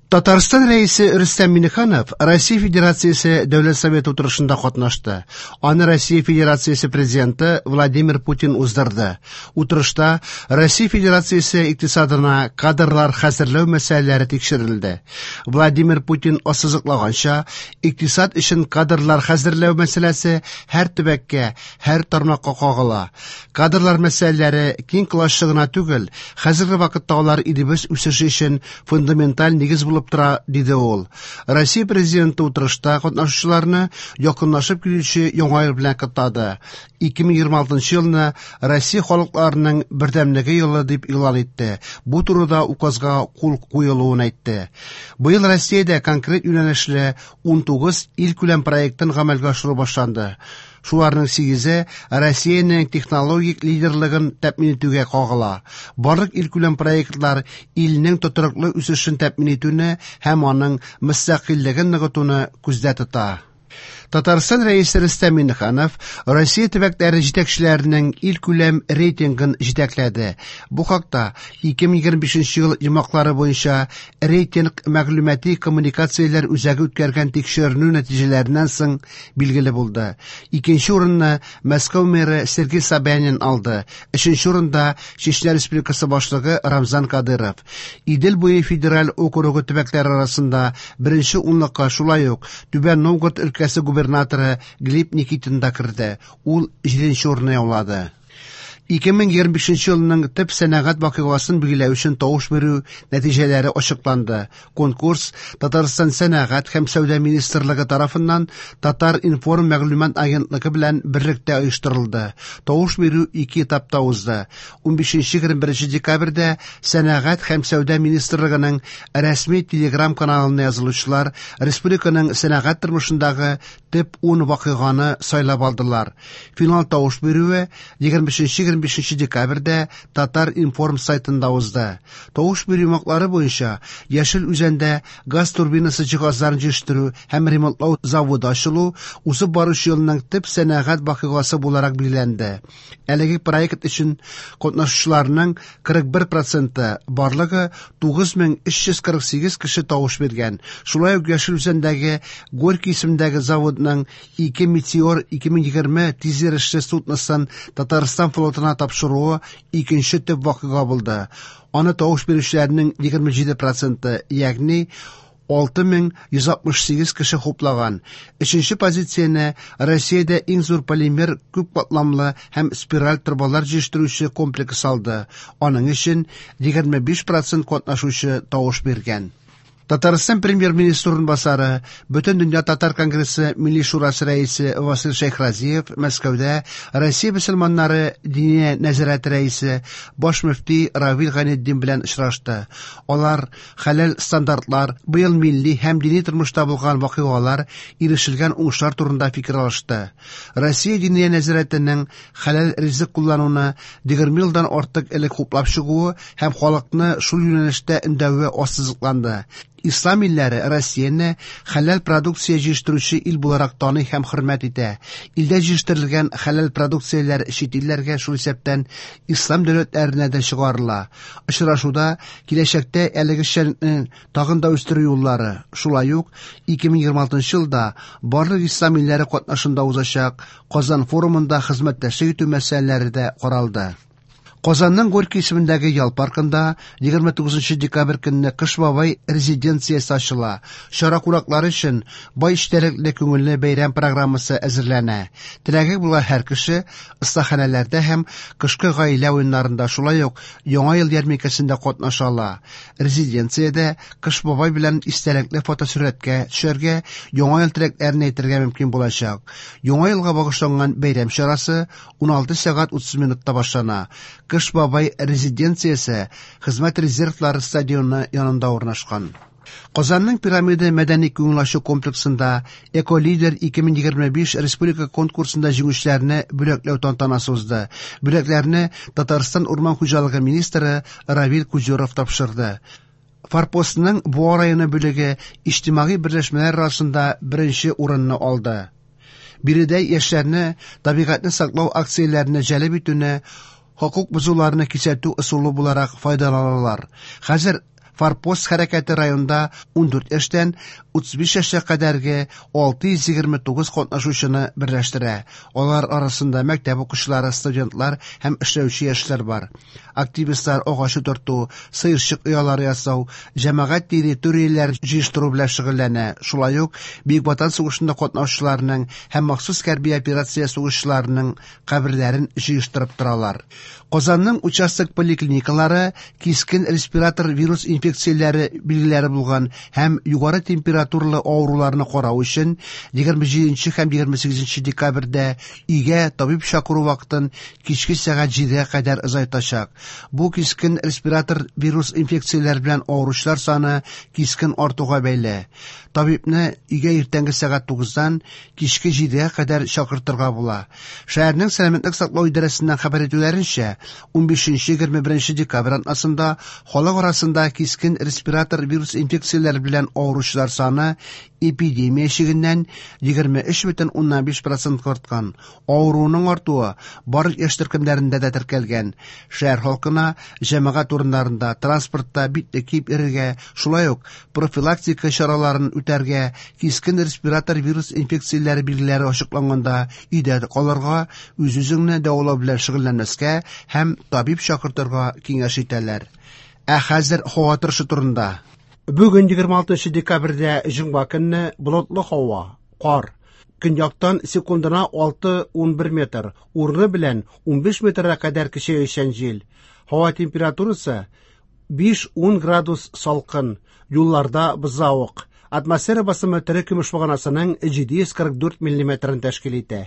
Татарстан Рәисе Рөстәм Миңнеханов Россия Федерациясе Дәүләт Советы утырышында катнашты. Аны Россия Федерациясе Президенты Владимир Путин уздырды. Утырышта Россия Федерациясе икътисадына кадрлар хәзерләү мәсьәләләре тикшерелде. Владимир Путин ассызыклаганча, икътисад өчен кадрлар хәзерләү мәсьәләсе һәр төбәккә, һәр тармакка кагыла. Кадрлар мәсьәләләре киң колачлы гына түгел, хәзерге вакытта алар илебез үсеше өчен фундаменталь нигез булып тора, диде ул. Россия Президенты утырышта катнашучыларны якынлашып килүче Яңа ел белән котлады. 2026 елны Россия халыкларының бердәмлеге елы дип игълан итте. Бу турыда указга кул куелуын әйтте. Быел Россиядә конкрет юнәлешле 19 илкүләм проектын гамәлгә ашыру башланды. Шуларның сигезе Россиянең технологик лидерлыгын тәэмин итүгә кагыла. Барлык илкүләм проектлар илнең тотрыклы үсешен тәэмин итүне һәм аның мөстәкыйльлеген ныгытуны күздә тота. Татарстан Рәисе Рөстәм Миңнеханов Россия төбәкләре җитәкчеләренең илкүләм рейтингын җитәкләде. Бу хакта 2025 ел йомгаклары буенча рейтинг мәгълүмати коммуникацияләр үзәге үткәргән тикшеренү нәтиҗәләреннән соң билгеле булды. Икенче урынны Мәскәү мэры Сергей Собянин алды. Өченче урында Чечня Республикасы башлыгы Рамзан Кадыров. Идел буе федераль округы төбәкләре арасында беренче унлыкка шулай ук Түбән Новгород өлкәсе губернаторы Глеб Никитин да керде. Ул җиденче урынны яулады. 2025 елның төп сәнәгать вакыйгасын билгеләү өчен тавыш бирү нәтиҗәләре ачыкланды. Конкурс Татарстан Сәнәгать һәм сәүдә министрлыгы тарафыннан Татар-информ мәгълүмат агентлыгы белән берлектә оештырылды. Тавыш бирү ике этапта узды. 15-21 декабрьдә Сәнәгать һәм сәүдә министрлыгының рәсми телеграм-каналына язылучылар республиканың сәнәгать тормышындагы төп 10 вакыйганы сайлап алдылар. Финал тавыш бирүе 23-25 декабрьдә Татар-информ сайтында узды. Тавыш бирү йомгаклары буенча Яшел Үзәндә газ турбинасы җиһазларын җитештерү һәм ремонтлау заводы ачылу узып баручы елның төп сәнәгать вакыйгасы буларак билгеләнде. Әлеге проект өчен катнашучыларның 41 проценты, барлыгы 9348 кеше тавыш биргән. Шулай ук Яшел Үзәндәге Горький исемендәге заводның ике Метеор 2020 тизйөрешле судносын Татарстан флотына тапшыруы икенче төп вакыйга булды. Аны тавыш бирүчеләрнең 27 проценты, ягъни 6168 кеше хуплаган. Өченче позицияне Россиядә иң зур полимер күп катламлы һәм спираль торбалар җитештерүче комплекс алды. Аның өчен 25% катнашучы тавыш биргән. Татарстан премьер-министры урынбасары, Бөтендөнья татар конгрессы Милли шурасы рәисе Васил Шәйхразиев Мәскәүдә Россия мөселманнары Диния нәзарәте рәисе, баш мөфти Равил Гайнетдин белән очрашты. Алар хәләл стандартлар, быел милли һәм дини тормышта булган вакыйгалар, ирешелгән уңышлар турында фикер алышты. Россия Диния нәзарәтенең хәләл ризык куллануны 20 елдан артык элек хуплап чыгуы һәм халыкны шул юнәлештә өндәве ассызыкланды. Ислам илләре Россияне хәләл продукция җитештерүче ил буларак таный һәм хөрмәт итә. Илдә җитештерелгән хәләл продукцияләр чит илләргә, шул исәптән ислам дәүләтләренә дә чыгарыла. Очрашуда киләчәктә әлеге эшчәнлекне тагын да үстерү юллары, шулай ук 2026 елда барлык ислам илләре катнашында узачак Казан форумында хезмәттәшлек итү мәсьәләләре дә каралды. Казанның Горький исемендәге ял паркында 29 декабрь көнне Кыш бабай резиденциясе ачыла. Чара кунаклары өчен бай эчтәлекле күңелле бәйрәм программасы әзерләнә. Теләге булган һәр кеше остаханәләрдә һәм кышкы гаилә уеннарында, шулай ук Яңа ел ярминкәсендә катнаша ала. Резиденциядә Кыш бабай белән истәлекле фотосурәткә төшәргә, Яңа ел теләкләрен әйтергә мөмкин булачак. Яңа елга багышланган бәйрәм чарасы 16 сәгать 30 минутта башлана. Кыш бабай резиденциясе Хезмәт резервлары стадионы янында урнашкан. Казанның Пирамида мәдәни күңел ачу комплексында Эколидер 2025 республика конкурсында җиңүчеләрне бүләкләү тантанасы узды. Бүләкләрне Татарстан урман хуҗалыгы министры Равил Кузюров тапшырды. Форпостның Буа районы бүлеге иҗтимагый берләшмәләр арасында беренче урынны алды. Биредә яшьләрне табигатьне саклау акцияләренә җәлеп итүне хокук бозуларны кисәтү ысулы буларак файдаланалар. Хәзер Форпост хәрәкәте районда 14 яшьтән 35 яшькә кадәрге 629 катнашучыны берләштерә. Алар арасында мәктәп укучылары, студентлар һәм эшләүче яшьләр бар. Активистлар агач утырту, сыерчык оялары ясау, җәмәгать территорияләрен җыештыру белән шөгыльләнә. Шулай ук Бөек Ватан сугышында катнашучыларның һәм махсус хәрби операция сугышчыларының каберләрен җыештырып торалар. Казанның участок поликлиникалары кискен респиратор вирус инфекцияләре билгеләре булган һәм югары температуралы авыруларны карау өчен 27 һәм 28 декабрьдә өйгә табиб чакыру вакытын кичке сәгать 7-гә кадәр озайтачак. Бу кискен респиратор вирус инфекцияләре белән авыручылар саны кискен артуга бәйле. Табибны өйгә иртәнге сәгать 9-дан кичке 7-гә кадәр чакыртырга була. Шәһәрнең сәламәтлек саклау идарәсеннән хәбәр итүләренчә, 15-21 декабрь атнасында халык арасында кискен респиратор вирус инфекцияләре белән авыручылар саны эпидемия чигеннән 23,5 процентка арткан. Авыруның артуы барлык яшь төркемнәрендә дә теркәлгән. Шәһәр халкына җәмәгать урыннарында, транспортта битлек киеп йөрергә, шулай ук профилактика чараларын үтәргә, кискен респиратор вирус инфекцияләре билгеләре ачыкланганда өйдә калырга, үз-үзеңне дәвалау белән шөгыльләнмәскә һәм табиб чакыртырга киңәш итәләр. Ә хәзер һава торышы турында. Бүген 26 декабрьдә җомга көнне болытлы һава, кар. Көньяктан секундына 6-11 метр, урыны белән 15 метрга кадәр көчәючән җил. Һава температурасы 5-10 градус салкын, юлларда бозавык. Атмосфера басымы тере көмеш баганасының 744 миллиметрын тәшкил итә.